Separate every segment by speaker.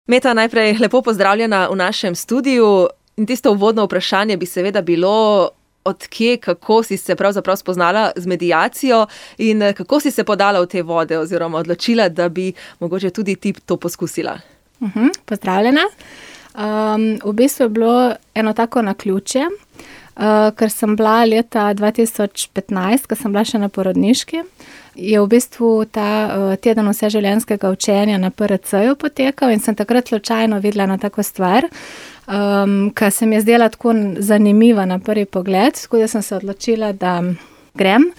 Speaker 1: Meta, najprej lepo pozdravljena v našem studiu. In tisto uvodno vprašanje bi seveda bilo, od kje, kako si se pravzaprav spoznala z mediacijo in kako si se podala v te vode oziroma odločila, da bi mogoče tudi ti to poskusila.
Speaker 2: Pozdravljena. V bistvu je bilo eno tako naključje, ker sem bila leta 2015, ko sem bila še na porodniški, je v bistvu ta teden vseživljenjskega učenja na PRC-ju potekal in sem takrat slučajno videla na tako stvar, ki se mi je zdela tako zanimiva na prvi pogled, tako da sem se odločila, da grem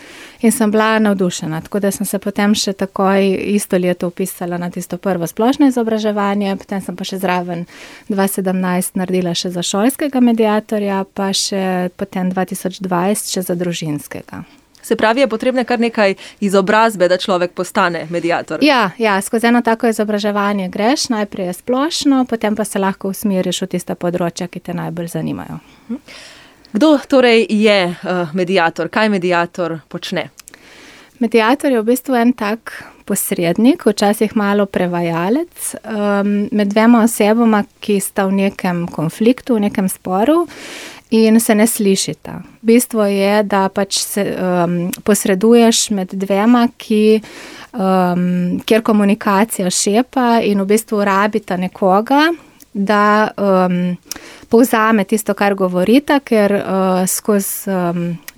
Speaker 2: in sem bila navdušena. Tako da sem se potem še takoj isto leto vpisala na tisto prvo splošno izobraževanje, potem sem pa še zraven 2017 naredila še za šolskega mediatorja, pa še potem 2020 še za družinskega.
Speaker 1: Se pravi, je potrebne kar nekaj izobrazbe, da človek postane mediator?
Speaker 2: Ja, skozi eno tako izobraževanje greš, najprej je splošno, potem pa se lahko usmeriš v tista področja, ki te najbolj zanimajo.
Speaker 1: Kdo torej je mediator? Kaj mediator počne?
Speaker 2: Mediator je v bistvu en tak posrednik, včasih malo prevajalec, med dvema osebama, ki sta v nekem konfliktu, v nekem sporu in se ne slišita. Bistvo je, da pač se posreduješ med dvema, kjer komunikacija šepa in v bistvu rabita nekoga, da povzame tisto, kar govorita, ker skozi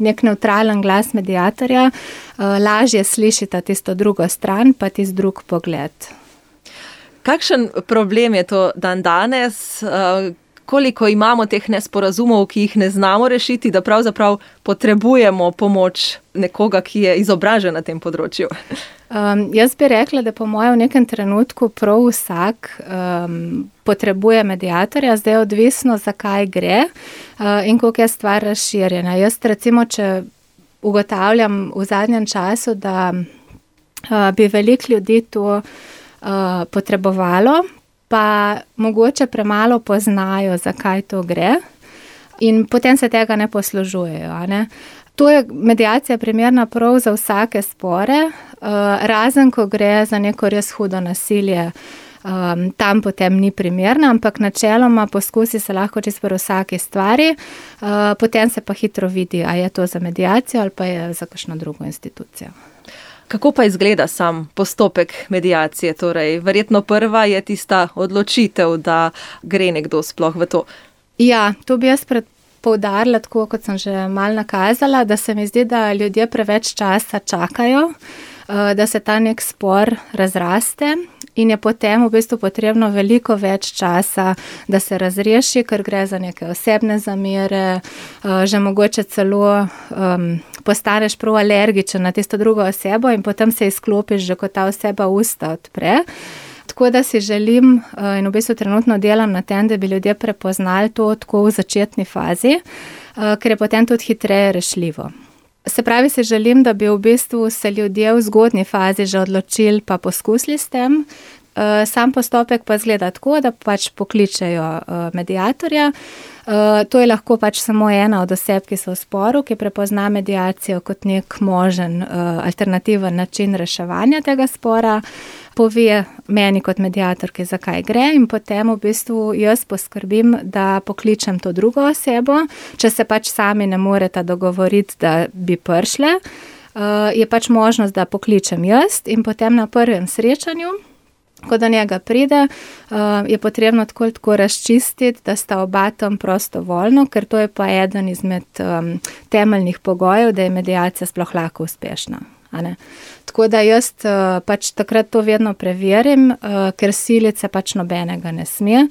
Speaker 2: nek nevtralen glas mediatorja lažje slišita tisto drugo stran, pa tisti drug pogled.
Speaker 1: Kakšen problem je to dandanes? Koliko imamo teh nesporazumov, ki jih ne znamo rešiti, da pravzaprav potrebujemo pomoč nekoga, ki je izobražen na tem področju?
Speaker 2: Jaz bi rekla, da po mojem v nekem trenutku prav vsak potrebuje mediatorja, zdaj je odvisno, zakaj gre in koliko je stvar razširjena. Jaz recimo, če ugotavljam v zadnjem času, da bi veliko ljudi to potrebovalo, pa mogoče premalo poznajo, zakaj to gre in potem se tega ne poslužujejo, ne? To je mediacija primerna prav za vsake spore, razen ko gre za neko res hudo nasilje, tam potem ni primerna, ampak načeloma poskusi se lahko čisto pri vsaki stvari, potem se pa hitro vidi, a je to za mediacijo ali pa je za kakšno drugo institucijo.
Speaker 1: Kako pa izgleda sam postopek mediacije? Torej, verjetno prva je tista odločitev, da gre nekdo sploh v to.
Speaker 2: Ja, to bi jaz poudarila, tako kot sem že malo nakazala, da se mi zdi, da ljudje preveč časa čakajo, da se ta nek spor razraste in je potem v bistvu potrebno veliko več časa, da se razreši, ker gre za neke osebne zamere, že mogoče celo postaneš prav alergičen na tisto drugo osebo in potem se izklopiš, že ko ta oseba usta odpre. Tako da si želim in v bistvu trenutno delam na tem, da bi ljudje prepoznali to tako v začetni fazi, ker je potem tudi hitreje rešljivo. Se pravi, si želim, da bi v bistvu se ljudje v zgodnji fazi že odločili pa poskusili s tem. Sam postopek pa izgleda tako, da pač pokličejo mediatorja. To je lahko pač samo ena od oseb, ki so v sporu, ki prepozna mediacijo kot nek možen alternativen način reševanja tega spora, pove meni kot mediatorki, zakaj gre in potem v bistvu jaz poskrbim, da pokličem to drugo osebo, če se pač sami ne moreta dogovoriti, da bi prišle, je pač možnost, da pokličem jaz in potem na prvem srečanju, ko do njega pride, je potrebno tako razčistiti, da sta oba tam prostovoljno, ker to je pa eden izmed temeljnih pogojev, da je mediacija sploh lahko uspešna. Tako da jaz pač takrat to vedno preverim, ker silice pač nobenega ne sme.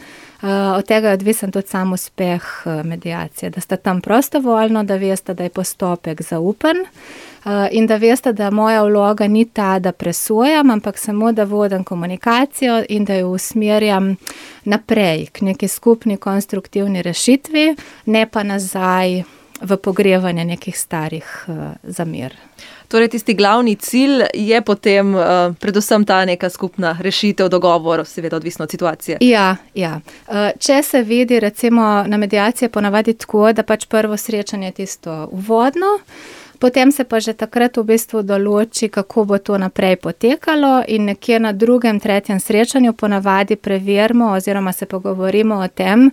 Speaker 2: Od tega je odvisen tudi sam uspeh mediacije, da sta tam prostovoljno, da veste, da je postopek zaupen in da veste, da moja vloga ni ta, da presojam, ampak samo, da vodim komunikacijo in da jo usmerjam naprej k neki skupni konstruktivni rešitvi, ne pa nazaj v pogrevanje nekih starih zamer.
Speaker 1: Torej, tisti glavni cilj je potem predvsem ta neka skupna rešitev, dogovor, seveda odvisno od situacije.
Speaker 2: Ja. Če se vidi, recimo na mediaciji ponavadi tako, da pač prvo srečanje je tisto uvodno, Potem se pa že takrat v bistvu določi, kako bo to naprej potekalo in nekje na 2., 3. srečanju ponavadi preverimo oziroma se pogovorimo o tem,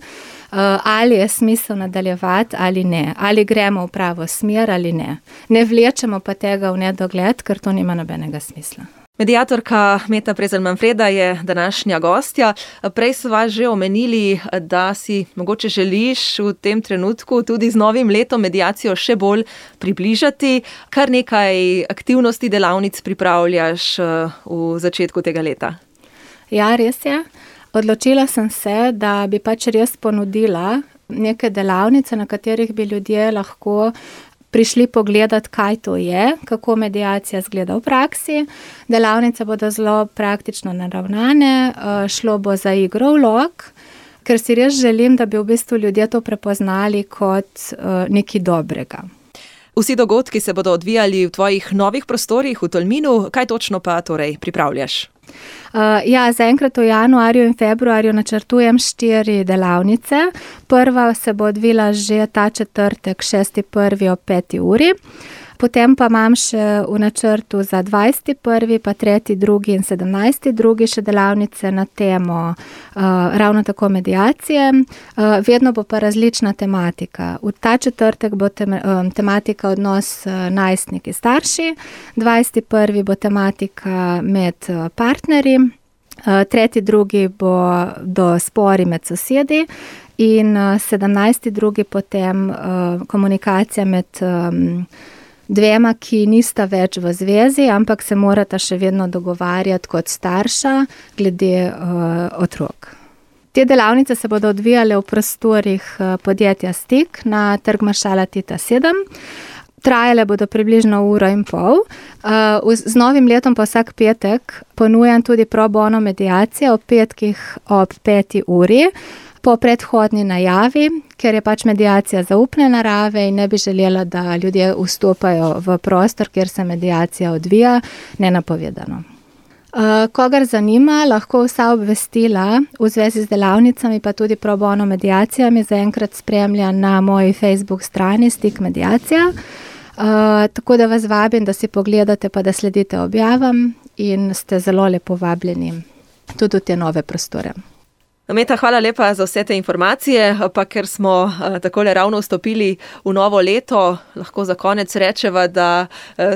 Speaker 2: ali je smisel nadaljevati ali ne, ali gremo v pravo smer ali ne. Ne vlečemo pa tega v nedogled, ker to nima nobenega smisla.
Speaker 1: Mediatorka Meta Prezelj-Manfreda je današnja gostja. Prej sva že omenili, da si mogoče želiš v tem trenutku tudi z novim letom mediacijo še bolj približati. Kar nekaj aktivnosti, delavnic pripravljaš v začetku tega leta.
Speaker 2: Ja, res je. Odločila sem se, da bi pač res ponudila neke delavnice, na katerih bi ljudje lahko prišli pogledati, kaj to je, kako mediacija izgleda v praksi. Delavnice bodo zelo praktično naravnane, šlo bo za igro vlog, ker si res želim, da bi v bistvu ljudje to prepoznali kot nekaj dobrega.
Speaker 1: Vsi dogodki se bodo odvijali v tvojih novih prostorih v Tolminu. Kaj točno pa torej pripravljaš?
Speaker 2: Zaenkrat v januarju in februarju načrtujem 4 delavnice. Prva se bo odvila že ta četrtek, 6.1. ob 5. uri. Potem pa imam še v načrtu za 20.1., pa 3.2. in 17.2. še delavnice na temo ravno tako mediacije. Vedno bo pa različna tematika. V ta četrtek bo tematika odnos najstniki starši, 20.1. bo tematika med partnerji, 3.2. bo do spori med sosedi in 17.2. potem komunikacija med dvema, ki nista več v zvezi, ampak se morata še vedno dogovarjati kot starša glede otrok. Te delavnice se bodo odvijale v prostorih podjetja Stik na Trg maršala Tita 7. Trajale bodo približno 1,5 ure. Z novim letom pa vsak petek ponujam tudi pro bono mediacijo ob petkih ob 5. uri. Po predhodni najavi, ker je pač mediacija zaupne narave in ne bi želela, da ljudje vstopajo v prostor, kjer se mediacija odvija, nenapovedano. Kogar zanima, lahko vsa obvestila v zvezi z delavnicami, pa tudi pro bono mediacijami zaenkrat spremlja na moji Facebook strani Stik mediacija. Tako da vas vabim, da si pogledate pa da sledite objavam in ste zelo lepo vabljeni tudi v te nove prostore.
Speaker 1: Meta, hvala lepa za vse te informacije, pa ker smo takole ravno vstopili v novo leto, lahko za konec rečeva, da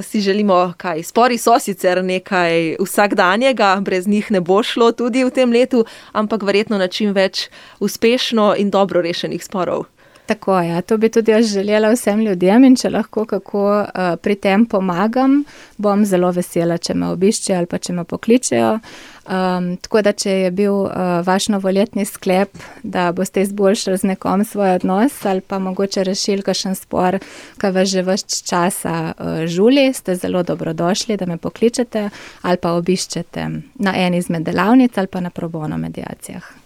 Speaker 1: si želimo kaj. Spori so sicer nekaj vsakdanjega, brez njih ne bo šlo tudi v tem letu, ampak verjetno na čim več uspešno in dobro rešenih sporov.
Speaker 2: Tako je, to bi tudi jaz želela vsem ljudem in če lahko kako pri tem pomagam, bom zelo vesela, če me obiščejo ali pa če me pokličejo. Tako da, če je bil vaš novoletni sklep, da boste izboljšali z nekom svoj odnos ali pa mogoče rešili kakšen spor, ki vas že ves časa žuli, ste zelo dobrodošli, da me pokličete ali pa obiščete na eni izmed delavnic ali pa na pro bono mediacijah.